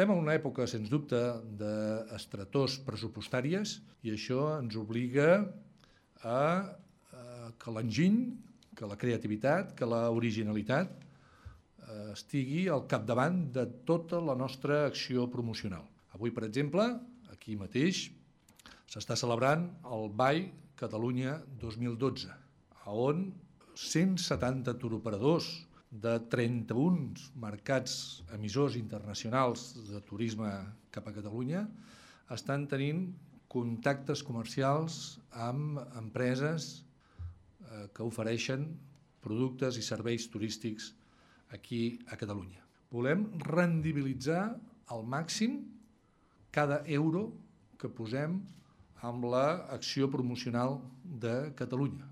Estem en una època, sens dubte, d'estretors pressupostàries i això ens obliga a que l'enginy, que la creativitat, que l'originalitat estigui al capdavant de tota la nostra acció promocional. Avui, per exemple, aquí mateix s'està celebrant el BAI Catalunya 2012, on 170 turoperadors de 31 mercats emissors internacionals de turisme cap a Catalunya estan tenint contactes comercials amb empreses que ofereixen productes i serveis turístics aquí a Catalunya. Volem rendibilitzar al màxim cada euro que posem amb l'acció promocional de Catalunya.